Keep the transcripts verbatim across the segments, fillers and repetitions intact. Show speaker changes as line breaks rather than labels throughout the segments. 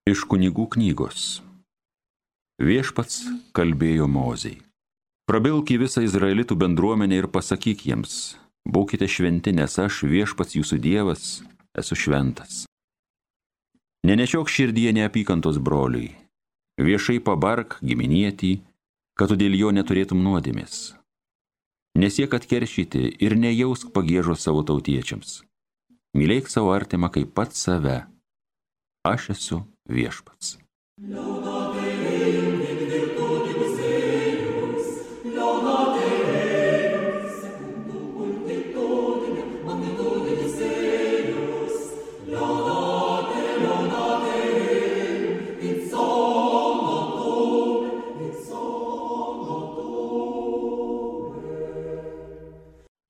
Iš kunigų knygos. Viešpats kalbėjo Mozei. Prabilk į visą izraelitų bendruomenę ir pasakyk jiems, būkite šventi, nes aš, viešpats jūsų Dievas, esu šventas. Nenešiok širdyje neapykantos broliui, viešai pabark giminietį, kad tu dėl jo neturėtum nuodėmės. Nesiek atkeršyti ir nejausk pagiežos savo tautiečiams. Mylėk savo artimą kaip pats save. Aš esu viešpats.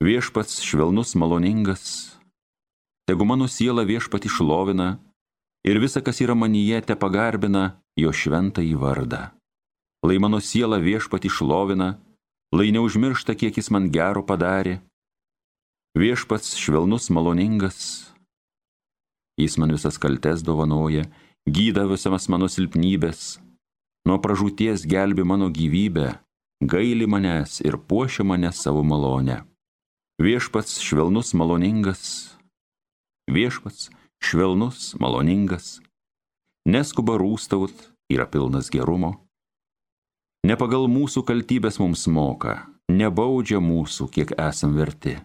Viešpats švelnus, maloningas, tegu mano siela viešpatį šlovina ir visa, kas yra manyje, te pagarbina jo šventąjį vardą. Lai mano siela viešpatį šlovina, lai neužmiršta, kiek jis man gero padarė. Viešpats švelnus, maloningas, jis man visas kaltes dovanoja, gydo visas mano silpnybės, nuo pražūties gelbi mano gyvybę, gaili manęs ir puošia mane savo malonę. Viešpats švelnus, maloningas, viešpats švelnus, maloningas, neskuba rūstaut, yra pilnas gerumo. Ne pagal mūsų kaltybės mums moka, nebaudžia mūsų, kiek esam verti.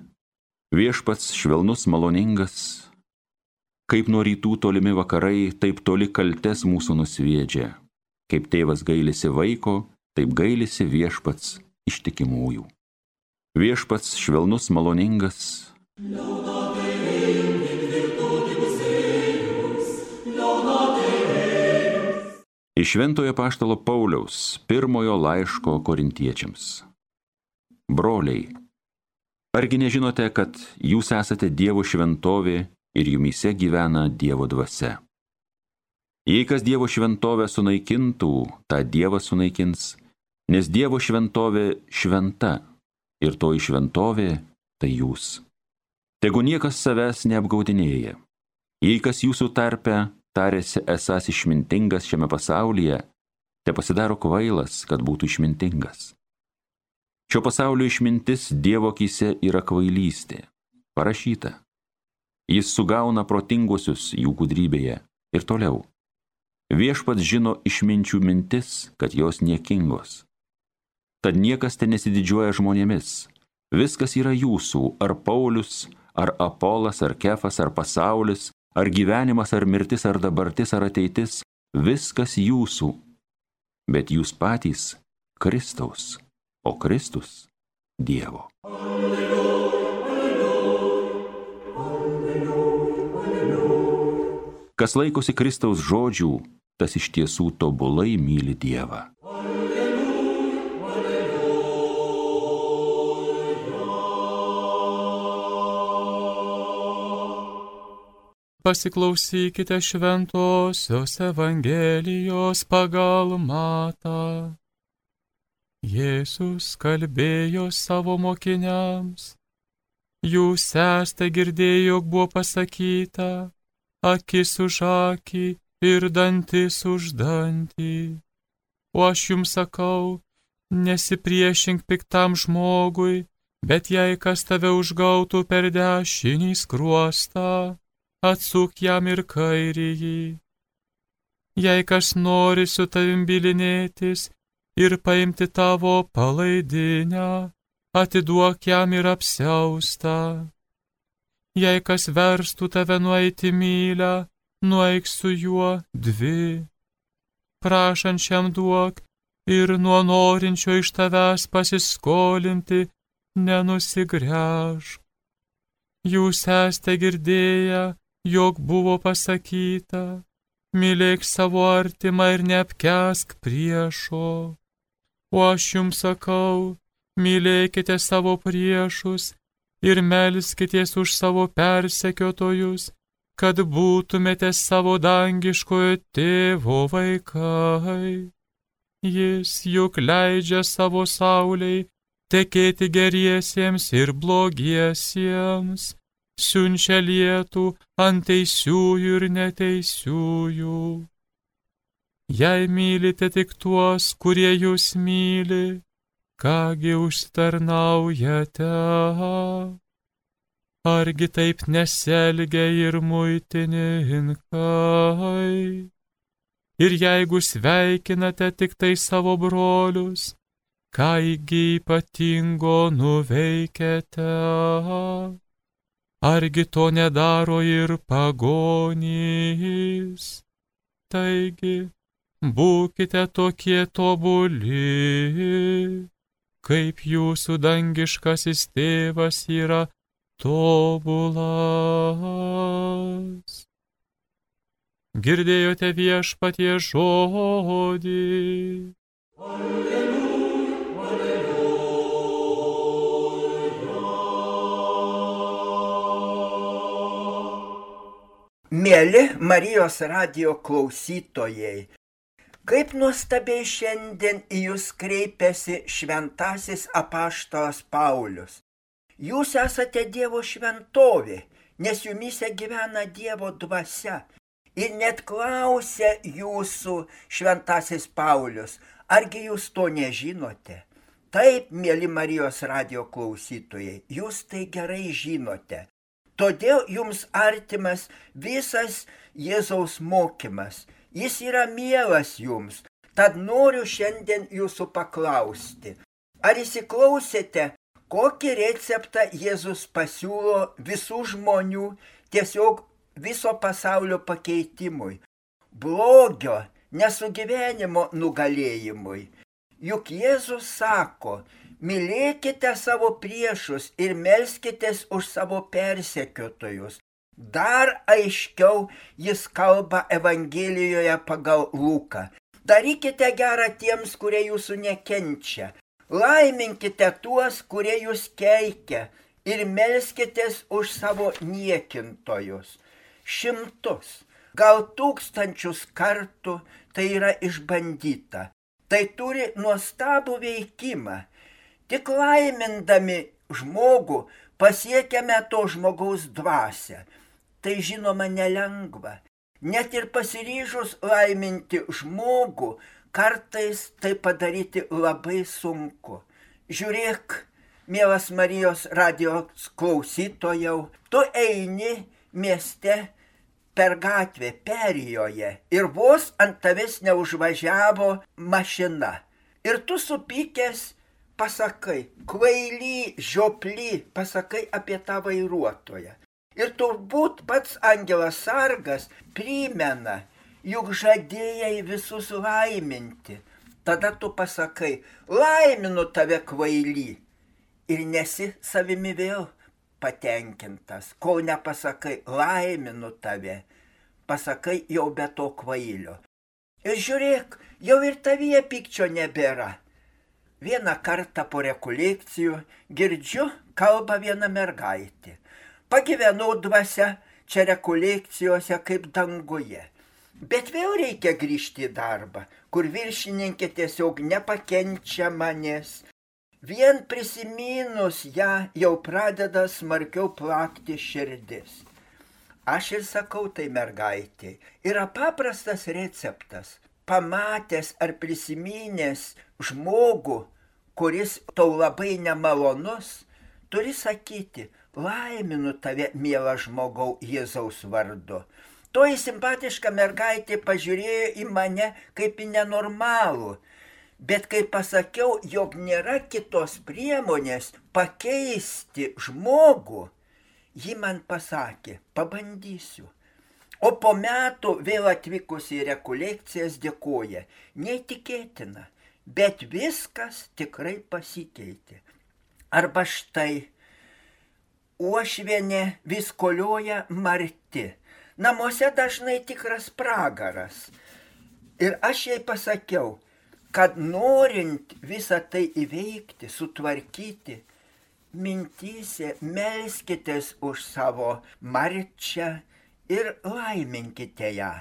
Viešpats švelnus, maloningas, kaip nuo rytų tolimi vakarai, taip toli kaltes mūsų nusviedžia. Kaip tėvas gailisi vaiko, taip gailisi viešpats ištikimųjų. Viešpats švelnus, maloningas, iš Šventojo apaštalo Pauliaus pirmojo laiško korintiečiams. Broliai, argi nežinote, kad jūs esate Dievo šventovė ir jumyse gyvena Dievo dvasia? Jei kas Dievo šventovę sunaikintų, tą Dievas sunaikins, nes Dievo šventovė šventa ir toji šventovė tai jūs. Tegu niekas savęs neapgaudinėja. Jei kas jūsų tarpe tarėsi esąs išmintingas šiame pasaulyje, te pasidaro kvailas, kad būtų išmintingas. Šio pasaulio išmintis Dievo akyse yra kvailystė. Parašyta. Jis sugauna protinguosius jų gudrybėje. Ir toliau. Viešpats žino išminčių mintis, kad jos niekingos. Tad niekas te nesididžiuoja žmonėmis. Viskas yra jūsų, ar Paulius, ar Apolas, ar Kefas, ar pasaulis, ar gyvenimas, ar mirtis, ar dabartis, ar ateitis, viskas jūsų. Bet jūs patys Kristaus, o Kristus Dievo. Kas laikosi Kristaus žodžių, tas iš tiesų tobulai myli Dievą.
Pasiklausykite šventosios Evangelijos pagal Matą. Jėzus kalbėjo savo mokiniams. Jūs esate girdėję, jog buvo pasakyta, akis už akį ir dantis už dantį. O aš jums sakau, nesipriešink piktam žmogui, bet jei kas tave užgautų per dešinį skruostą, atsuk jam ir kairįjį. Jei kas nori su tavim bylinėtis ir paimti tavo palaidinę, atiduok jam ir apsiaustą. Jei kas verstų tave nueiti mylią, nueik su juo dvi. Prašančiam duok ir nuo norinčio iš tavęs pasiskolinti nenusigręžk. Jūs esate girdėję, jog buvo pasakyta, mylėk savo artimą ir neapkęsk priešo. O aš jums sakau, mylėkite savo priešus ir melskitės už savo persekiotojus, kad būtumėte savo dangiškojo tėvo vaikai. Jis juk leidžia savo saulei tekėti geriesiems ir blogiesiems, siunčia lietų ant teisiųjų ir neteisiųjų. Jei mylite tik tuos, kurie jūs myli, kągi užsitarnaujate? Argi taip nesielgia ir muitininkai? Ir jeigu sveikinate tik tai savo brolius, kągi ypatingo nuveikėte? Argi to nedaro ir pagonys? Taigi, būkite tokie tobuli, kaip jūsų dangiškasis tėvas yra tobulas. Girdėjote viešpatie žodį.
Alleluja, alleluja. Mieli Marijos radijo klausytojai, kaip nuostabiai šiandien į jūs kreipiasi šventasis apaštalas Paulius. Jūs esate Dievo šventovė, nes jumyse gyvena Dievo dvasia. Ir net klausia jūsų šventasis Paulius, argi jūs to nežinote? Taip, mieli Marijos radijo klausytojai, jūs tai gerai žinote. Todėl jums artimas visas Jėzaus mokymas. Jis yra mielas jums. Tad noriu šiandien jūsų paklausti. Ar įsiklausėte, kokį receptą Jėzus pasiūlo visų žmonių tiesiog viso pasaulio pakeitimui, blogio, nesugyvenimo nugalėjimui? Juk Jėzus sako, mylėkite savo priešus ir melskitės už savo persekiotojus. Dar aiškiau jis kalba Evangelijoje pagal Luką. Darykite gerą tiems, kurie jūsų nekenčia. Laiminkite tuos, kurie jūs keikia, ir melskitės už savo niekintojus. Šimtus, gal tūkstančius kartų tai yra išbandyta. Tai turi nuostabų veikimą. Tik laimindami žmogų pasiekiame to žmogaus dvasią. Tai žinoma nelengva. Net ir pasiryžus laiminti žmogų, kartais tai padaryti labai sunku. Žiūrėk, mielas Marijos radijos klausytojau, tu eini mieste per gatvę, perėjoje, ir vos ant tavęs neužvažiavo mašina. Ir tu supykęs pasakai, kvaily, žioply, pasakai apie tą vairuotoją. Ir turbūt pats angelas sargas primena, juk žadėjai visus laiminti. Tada tu pasakai, laiminu tave kvaily. Ir nesi savimi vėl patenkintas, kol nepasakai, laiminu tave, pasakai jau be to kvailio. Ir žiūrėk, jau ir tavyje pykčio nebėra. Vieną kartą po rekolekcijų girdžiu, kalba viena mergaitė. Pagyvenau dvasia čia rekolekcijose kaip danguje. Bet vėl reikia grįžti į darbą, kur viršininkė tiesiog nepakenčia manęs. Vien prisiminus ją jau pradeda smarkiau plakti širdis. Aš ir sakau tai mergaitė, yra paprastas receptas. Pamatęs ar prisiminęs žmogų, kuris tau labai nemalonus, turi sakyti, laiminu tave, miela žmogau, Jėzaus vardu. Toji simpatiška mergaitė pažiūrėjo į mane kaip į nenormalų. Bet kai pasakiau, jog nėra kitos priemonės pakeisti žmogų, ji man pasakė, pabandysiu. O po metų vėl atvykusi į rekolekcijas dėkoja. Neįtikėtina, bet viskas tikrai pasikeitė. Arba štai, uošvienė vis kolioja marti. Namuose dažnai tikras pragaras. Ir aš jai pasakiau, kad norint visą tai įveikti, sutvarkyti, mintyse melskitės už savo marčią ir laiminkite ją.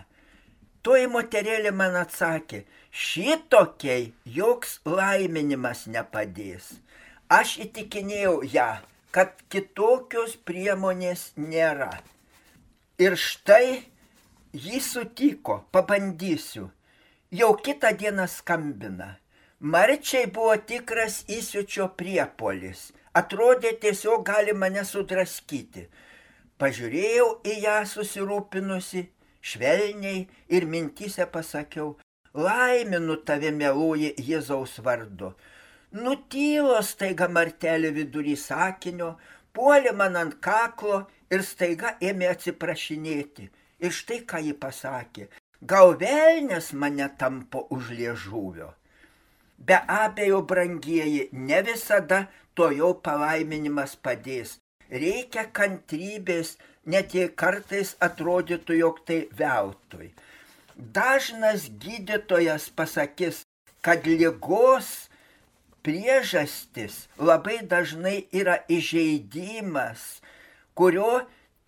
Toji moterėlė man atsakė, šitokiai joks laiminimas nepadės. Aš įtikinėjau ją, kad kitokios priemonės nėra. Ir štai ji sutiko, pabandysiu. Jau kitą dieną skambina. Marčiai buvo tikras įsiučio priepuolis. Atrodė, tiesiog gali mane sudraskyti. Pažiūrėjau į ją susirūpinusi, švelniai ir mintyse pasakiau, laiminu tave, mieloji Jėzaus vardu. Nutylo staiga Martelė vidury sakinio, puolė man ant kaklo ir staiga ėmė atsiprašinėti. Ir štai ką ji pasakė, gal velnias mane tampo už liežuvio. Be abejo, brangieji, ne visada to jau palaiminimas padės. Reikia kantrybės, net jei kartais atrodytų, jog tai veltui. Dažnas gydytojas pasakys, kad ligos priežastis labai dažnai yra įžeidimas, kurio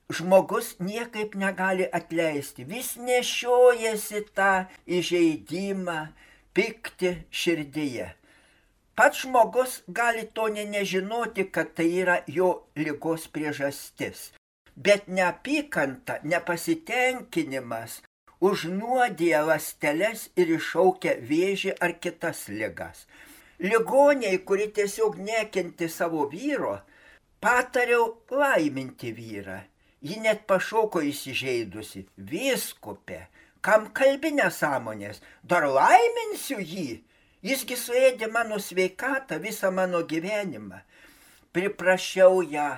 žmogus niekaip negali atleisti. Vis nešiojasi tą įžeidimą, pikti širdyje. Pats žmogus gali to ne nežinoti, kad tai yra jo ligos priežastis. Bet neapykanta, nepasitenkinimas užnuodija ląsteles ir iššaukia vėžį ar kitas ligas. Ligoniai, kuri tiesiog nekenti savo vyro, patariau laiminti vyrą. Ji net pašoko įsižeidusi. Vyskupė, kam kalbi nesąmonės, dar laiminsiu jį. Jisgi suėdė mano sveikatą, visą mano gyvenimą. Priprašiau ją,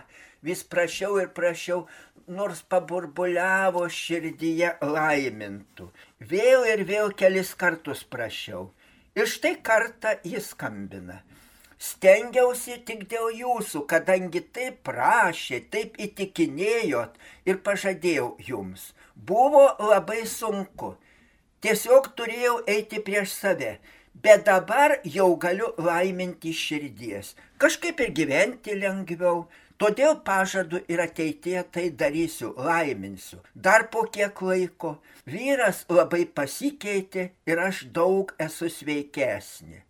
vis prašiau ir prašiau, nors paburbuliavo širdyje laimintų. Vėl ir vėl kelis kartus prašiau. Ir štai kartą jis skambina. Stengiausi tik dėl jūsų, kadangi taip prašė, taip įtikinėjot ir pažadėjau jums. Buvo labai sunku. Tiesiog turėjau eiti prieš save. Bet dabar jau galiu laiminti širdies. Kažkaip ir gyventi lengviau. Todėl pažadu ir ateityje tai darysiu, laiminsiu. Dar po kiek laiko vyras labai pasikeitė ir aš daug esu sveikesnė.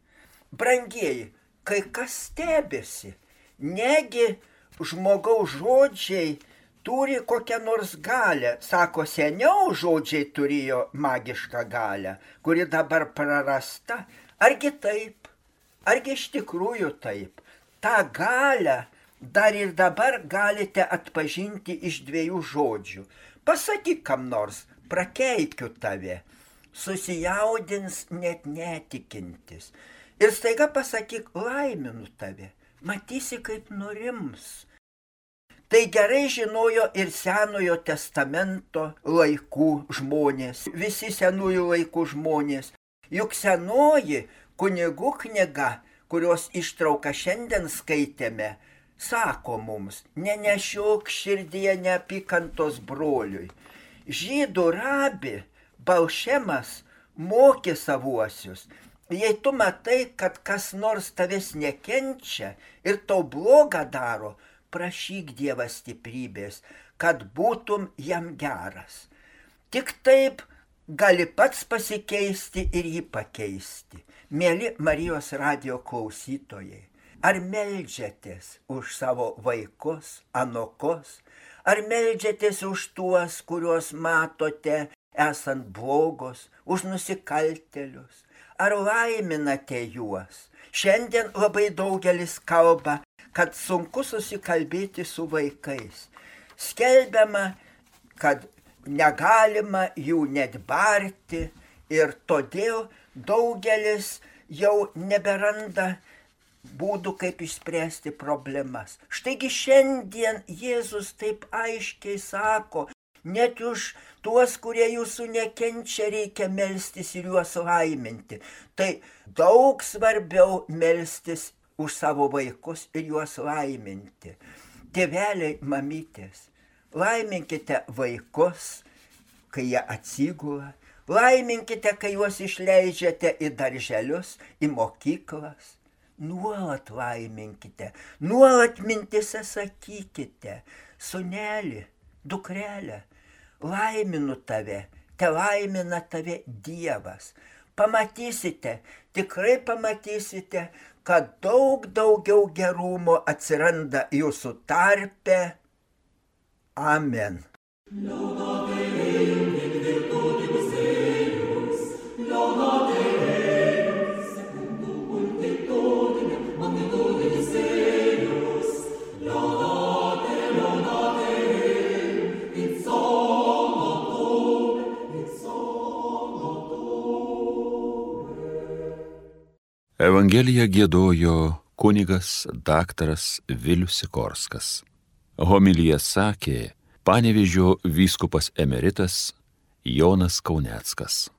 Brangieji, kai kas stebėsi, negi žmogaus žodžiai turi kokią nors galę. Sako, seniau žodžiai turėjo magišką galę, kuri dabar prarasta. Argi taip? Argi iš tikrųjų taip? Ta galę dar ir dabar galite atpažinti iš dviejų žodžių. Pasakyk kam nors, prakeikiu tave. Susijaudins net netikintis. Ir staiga pasakyk, laiminu tave. Matysi, kaip nurims. Tai gerai žinojo ir Senojo testamento laikų žmonės, visi senųjų laikų žmonės. Juk senoji kunigų knyga, kurios ištrauką šiandien skaitėme, sako mums, nenešiok širdyje neapykantos broliui. Žydų rabi Balšemas mokė savuosius. Jei tu matai, kad kas nors tavęs nekenčia ir tau blogą daro, prašyk Dievą stiprybės, kad būtum jam geras. Tik taip gali pats pasikeisti ir jį pakeisti. Mieli Marijos radijo klausytojai, ar meldžiatės už savo vaikus, anokus, ar meldžiatės už tuos, kuriuos matote esant blogos, už nusikaltėlius, ar laiminate juos? Šiandien labai daugelis kalba, kad sunku susikalbėti su vaikais. Skelbiama, kad negalima jų net barti ir todėl daugelis jau neberanda būdų, kaip išspręsti problemas. Štaigi šiandien Jėzus taip aiškiai sako, net už tuos, kurie jūsų nekenčia, reikia melstis ir juos laiminti. Tai daug svarbiau melstis už savo vaikus ir juos laiminti. Tėveliai, mamytės, laiminkite vaikus, kai jie atsigula, laiminkite, kai juos išleidžiate į darželius, į mokyklas. Nuolat laiminkite, nuolat mintise sakykite, sūneli, dukrelė, laiminu tave, te laimina tave Dievas. Pamatysite, tikrai pamatysite, kad daug daugiau gerumo atsiranda jūsų tarpe. Amen. Laudate in virtutis eius, laudate
Evangeliją giedojo kunigas daktaras Vilius Sikorskas. Homiliją sakė Panevėžio vyskupas emeritas Jonas Kauneckas.